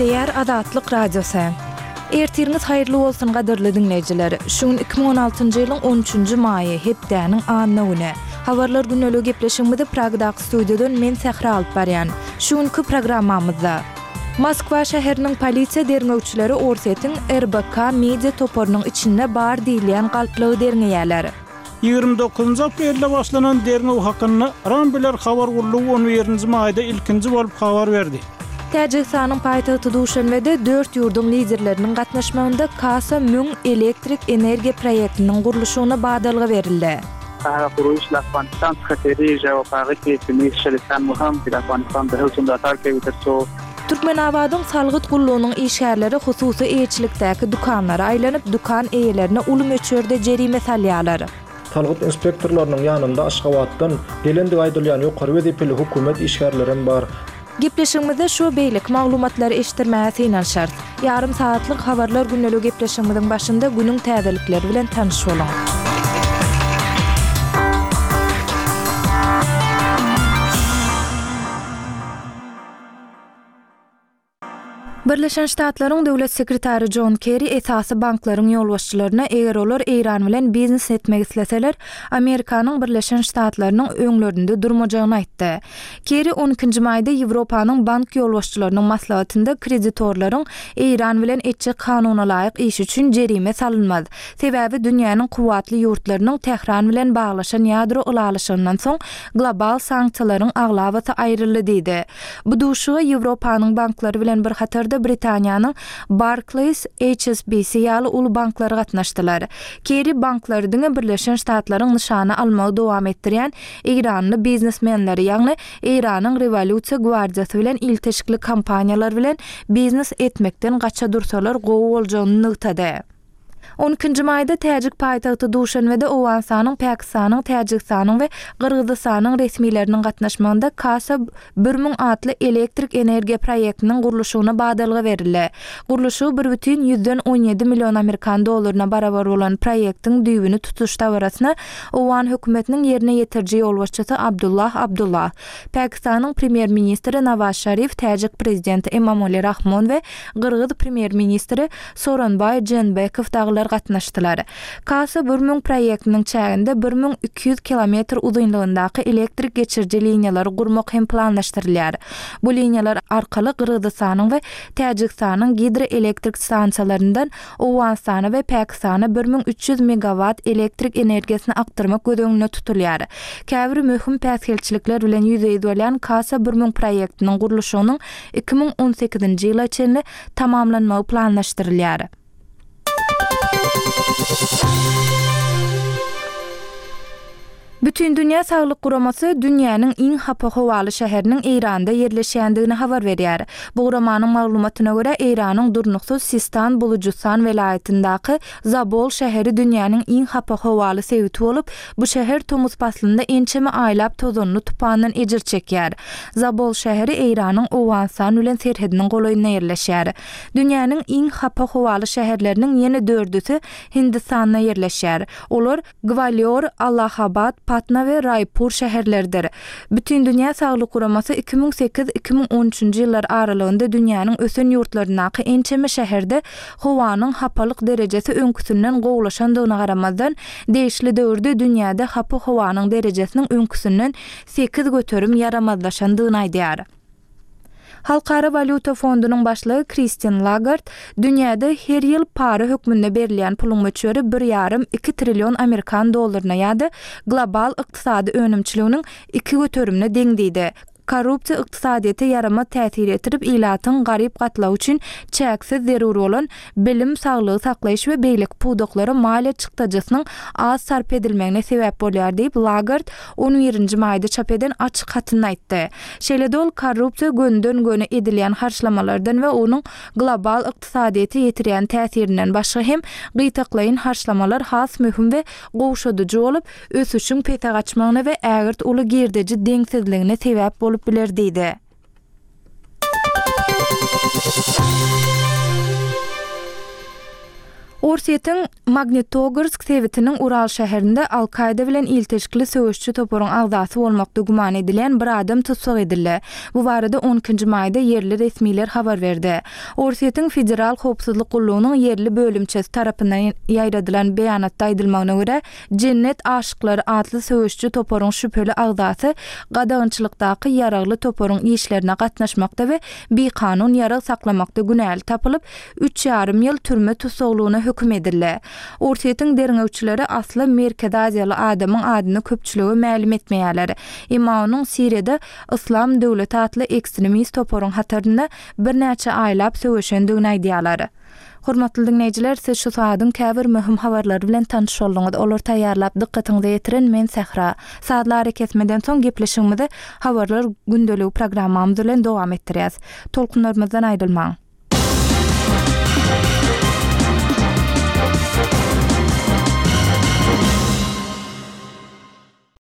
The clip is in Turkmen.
Gepleýär Azatlyk Radiosy. Ertiriňiz haýyrly bolsun gadyrly diňleýjiler. Şu gün 2016-njy ýylyň on üçünji maýy, hepdäniň anna güni. Habarlar gündeligi gepleşigimizi Pragadaky studiýadan men Sähra alyp barýan. Şu günki programmamyzda. Moskwa şäheriniň polisiýa derňewçileri Orsýetiň RBK media toparynyň içinde bar diýilýän galplygy derňeýärler. 29 aprelde başlanan derňew hakynda Rambler habar gullugy on birinji maýda ilkinji bolup habar berdi. Täjigistanyň paýtagty Duşanbede dört ýurduň liderleriniň gatnaşmagynda Kasa 1000 elektrik energiýa proýektiniň gurluşygyna badalga berildi. Türkmenabadyň salgyt gullugynyň işgärleri hususy eýeçilikdäki dükanlara aýlanyp, dükan eýelerine uly möçberde jerime salýarlar. Salgyt inspektorlarynyň ýanynda Aşgabatdan gelendigi aýdylýan ýokary wezipeli hökümet işgärlerem bar. Gepleşigimizde şu we beýleki maglumatlary eşitdirmäge synanyşarys. Ýarym sagatlyk Habarlar gündeligi gepleşigimiziň başynda günüň täzelikleri bilen tanyş boluň. Birleşen Ştatlaryň Döwlet sekretary Jon Kerri esasy banklaryň ýolbaşçylaryna eger olar Eýran bilen biznes etmek isleseler, Amerikanyň Birleşen Ştatlarynyň öňlerinde durmajagyny aýtdy. Kerri on ikinji maýda Ýewropanyň bank ýolbaşçylarynyň maslahatynda kreditorlaryň Eýran bilen etjek kanunalaýyk işi üçin jerime salynmaz. Sebäbi dünýäniň kuwwatly ýurtlarynyň Tähran bilen baglaşan ýadro ylalaşygyndan soň global sanksiýalaryň aglabasy aýryldy diýdi. Bu duşuşyga Ýewropanyň banklary bilen bir hatarda Britaniýanyň Barclays, HSBC ýaly uly banklary gatnaşdylar. Kerri banklary diňe Birleşen Ştatlaryň nyşana almagy dowam etdirýän eýranly biznesmenleri, ýagny Eýranyň Rewolýusiýa gwardiýasy bilen ilteşikli kompaniýalar bilen biznes etmekden gaça dursalar gowy boljagyny nygtady. On ikinji maýda täjik paýtagty Duşanbede Owganystanyň, Pakistanyň, Täjigistanyň we Gyrgyzystanyň resmileriniň gatnaşmagynda Kasa 1000 atly elektrik energiýa proýektiniň gurluşygyna badalga berildi. Gurluşygy bir bütin ýüzden on ýedi million amerikan dollaryna barabar bolan proýektiň düýbüni tutuş dabarasyna Owgan hökümetiniň ýerine ýetiriji ýolbaşçysy Abdullah Abdullah, Pakistanyň premýer-ministri Nawaz Şarif, täjik prezidenti Emomali Rahmon we gyrgyz premýer-ministri Sooronbaý Jeenbekow dagylar gatnaşdylar. Kasa 1000 proýektiniň çäginde 1200 kilometr uzynlygyndaky elektrik geçiriji liniýalary gurmak hem planlaşdyrylýar. Bu liniýalar arkaly Gyrgyzystanyň we Täjigistanyň gidroelektrik stansiýalaryndan Owganystana we Pakistana 1300 megawatt elektrik energiýasyny akdyrmak göz öňünde tutulýar. Käbir möhüm päsgelçilikler bilen ýüzbe-ýüz bolýan Kasa 1000 proýektiniň gurluşygynyň 2018-nji ýyla çenli tamamlanmagy planlaşdyrylýar. Bütindünýä Saglyk Guramasy dünýäniň iň hapa howaly şäheriniň Eýranda ýerleşýändigini habar berýär. Bu guramanyň maglumatyna görä, Eýranyň durnuksyz Sistan-Bulujystan welaýatyndaky Zabol şäheri dünýäniň iň hapa howaly sebiti bolup, bu şäher tomus paslynda ençeme aýlap tozanly tupandan ejir çekýär. Zabol şäheri Eýranyň Owganystan bilen serhediniň golaýynda ýerleşýär. Dünýäniň iň hapa howaly şäherleriniň ýene dördüsi Hindistanda ýerleşýär. Olar, Gwalior, Allahabad, Patna we Raýpur şäherleridir. Bütindünýä Saglyk Guramasy 2008, 2013-nji ýyllar aralygynda dünýäniň ösen ýurtlaryndaky ençeme şäherde howanyň hapalyk derejesi öňküsinden gowulaşandygyna garamazdan, degişli döwürde dünýäde hapa howanyň derejesiniň öňküsinden 8% ýaramazlaşandygyny aýdýar. Halkara walýuta fondunyň başlygy Kristin Lagard dünýäde her ýyl para hökmünde berilýän puluň möçberi bir ýarym, iki trillion amerikan dollaryna ýa-da global ykdysady önümçiliginiň iki göterimine deň diýdi. Korrupsiýa ykdysadyýete ýaramaz täsir ýetirip, ilatyň garyp gatlagy üçin çäksiz zerur bolan bilim, saglygy saklaýyş we beýleki pudaklara maliýe çykdajysynyň az sarp edilmegine sebäp bolýar diýip, Lagard on birinji maýda çap eden açyk hatynda aýtdy. Şeýle-de ol korrupsiýa gönüden-göni edilýän harçlamalardan we onuň global ykdysadyýete ýetirýän täsirinden başga hem gytaklaýyn harçlamalar has möhüm we gowşadyjy bolup, ösüşiň pese gaçmagyna we ägirt uly girdeji deňsizligine sebäp bolup biler diýdi. Orsýetiň Magnitogorsk sebitiniň Ural şäherinde Al-Kaýda bilen ilteşikli söweşçi toparyň agzasy bolmakda güman edilýän bir adam tussag edildi. Bu barada on ikinji maýda ýerli resmiler habar berdi. Orsýetiň Federal howpsuzlyk gullugynyň ýerli bölümçesi tarapyndan ýaýradylan beýanatda aýdylmagyna görä, Jennet aşyklary atly söweşiji toparyň şübheli agzasy gadagançylykdaky ýaragly toparyň işlerine gatnaşmakda we bikanun ýarag saklamakda günäli tapylyp, üç ýarym ýyl türme tussaglygyna höküm edildi. Orsýetiň derňewçileri asly Merkezi Aziýaly adamyň adyny köpçülige mälim etmeýärler. Emma onuň Siriýada Yslam döwleti atly ekstremist toparyň hatarynda birnäçe aýlap söweşendigini aýdýarlar. Hormatly diňleýjiler, siz şu sagadyň käbir möhüm habarlary bilen tanyş bolduňyz. Olary taýýarlap dykgatyňyza ýetiren men Sähra. Sazly arakesmeden soň gepleşigimizi Habarlar gündeligi programmamyz bilen dowam etdirýäs. Tolkunlarymyzdan aýrylmaň.